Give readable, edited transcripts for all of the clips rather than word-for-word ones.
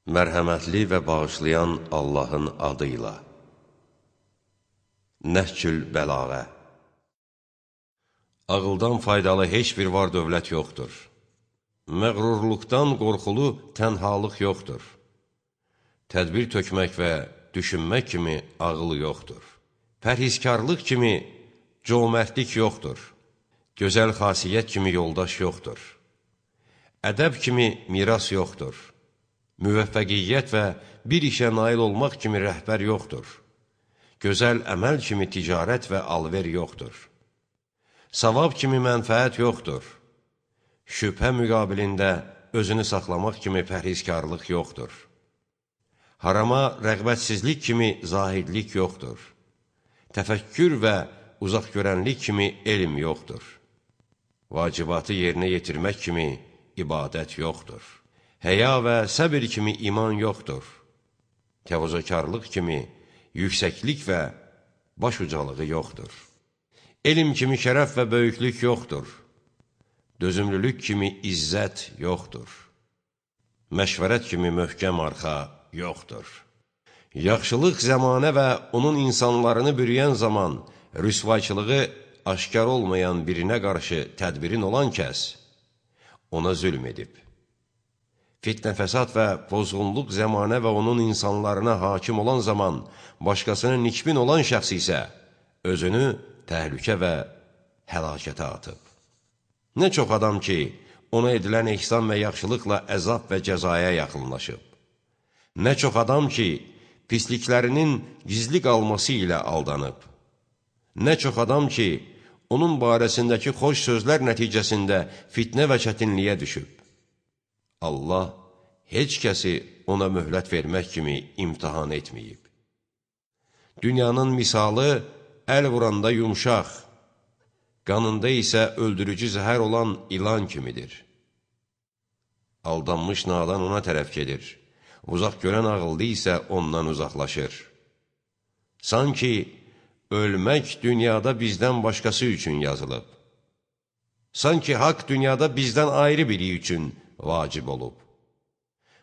Mərhəmətli və bağışlayan Allahın adıyla. Nəhcül bəlağə. Ağıldan faydalı heç bir var dövlət yoxdur. Məğrurluqdan qorxulu tənhalıq yoxdur. Tədbir tökmək və düşünmək kimi ağıl yoxdur. Pərhizkarlıq kimi cömərtlik yoxdur. Gözəl xasiyyət kimi yoldaş yoxdur. Ədəb kimi miras yoxdur. Müvəffəqiyyət və bir işə nail olmaq kimi rəhbər yoxdur. Gözəl əməl kimi ticarət və alver yoxdur. Savab kimi mənfəət yoxdur. Şübhə müqabilində özünü saxlamaq kimi pərhizkarlıq yoxdur. Harama rəğbətsizlik kimi zahidlik yoxdur. Təfəkkür və uzaqgörənlik kimi elm yoxdur. Vacibatı yerinə yetirmək kimi ibadət yoxdur. Həya və səbir kimi iman yoxdur. Təvazökarlıq kimi yüksəklik və baş ucalığı yoxdur. Elm kimi şərəf və böyüklük yoxdur. Dözümlülük kimi izzət yoxdur. Məşvərət kimi möhkəm arxa yoxdur. Yaxşılıq zəmanə və onun insanlarını bürüyən zaman rüsvayçılığı aşkar olmayan birinə qarşı tədbirin olan kəs ona zülm edib. Fitnə fəsad və pozğunluq zəmanə və onun insanlarına hakim olan zaman başqasının nikbin olan şəxs isə özünü təhlükə və həlakətə atıb. Nə çox adam ki, ona edilən ehsan və yaxşılıqla əzab və cəzaya yaxınlaşıb. Nə çox adam ki, pisliklərinin gizli qalması ilə aldanıb. Nə çox adam ki, onun barəsindəki xoş sözlər nəticəsində fitnə və çətinliyə düşüb. Allah heç kəsi ona möhlət vermək kimi imtihan etməyib. Dünyanın misalı əl vuranda yumşaq, qanında isə öldürücü zəhər olan ilan kimidir. Aldanmış nadan ona tərəf gedir, uzaq görən ağıllı isə ondan uzaqlaşır. Sanki ölmək dünyada bizdən başqası üçün yazılıb. Sanki haqq dünyada bizdən ayrı biri üçün vacib olub.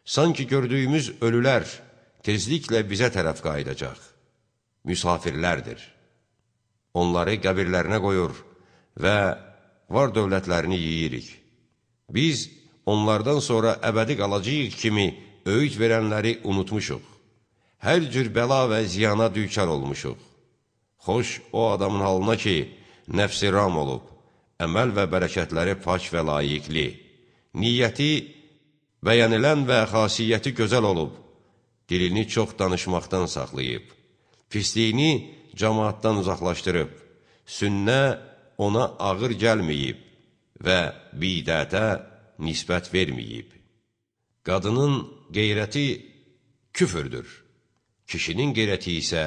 Sanki gördüyümüz ölülər tezliklə bizə tərəf qayıdacaq. Müsafirlərdir. Onları qəbirlərinə qoyur və var dövlətlərini yeyirik. Biz onlardan sonra əbədi qalacağıq kimi öyüd verənləri unutmuşuq. Hər cür bəla və ziyana düçar olmuşuq. Xoş o adamın halına ki, nəfsi ram olub, əməl və bərəkətləri pak və layiqli. Niyyəti bəyənilən və xasiyyəti gözəl olub, dilini çox danışmaqdan saxlayıb, pisliyini cəmaatdan uzaqlaşdırıb, sünnə ona ağır gəlməyib və bidətə nisbət verməyib. Qadının qeyrəti küfürdür, kişinin qeyrəti isə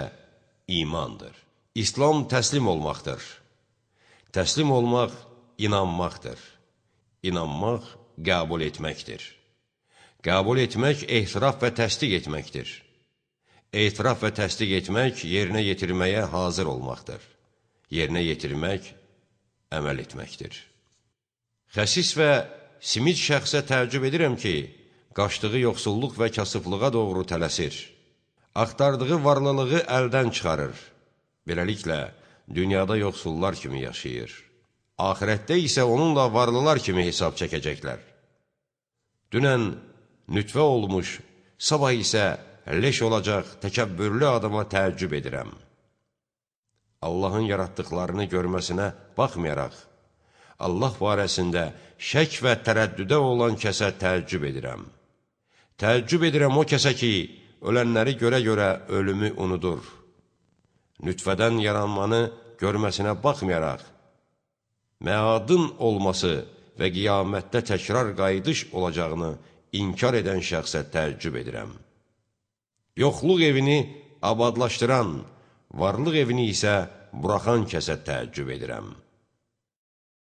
imandır. İslam təslim olmaqdır. Təslim olmaq inanmaqdır. İnanmaq qəbul etməkdir. Qəbul etmək ehtiraf və təsdiq etməkdir. Etiraf və təsdiq etmək yerinə yetirməyə hazır olmaqdır. Yerinə yetirmək əməl etməkdir. Xəsis və simid şəxsə təəccüb edirəm ki, qaçdığı yoxsulluq və kasıflığa doğru tələsir. Axtardığı varlılığı əldən çıxarır. Beləliklə, dünyada yoxsullar kimi yaşayır. Ahirətdə isə onunla varlılar kimi hesab çəkəcəklər. Dünən nütfə olmuş, sabah isə leş olacaq təkəbbürlü adama təəccüb edirəm. Allahın yaratdıqlarını görməsinə baxmayaraq, Allah barəsində şək və tərəddüdə olan kəsə təəccüb edirəm. Təəccüb edirəm o kəsə ki, ölənləri görə-görə ölümü unudur. Nütfədən yaranmanı görməsinə baxmayaraq, məadın olması və qiyamətdə təkrar qayıdış olacağını inkar edən şəxsə təəccüb edirəm. Yoxluq evini abadlaşdıran, varlıq evini isə buraxan kəsə təəccüb edirəm.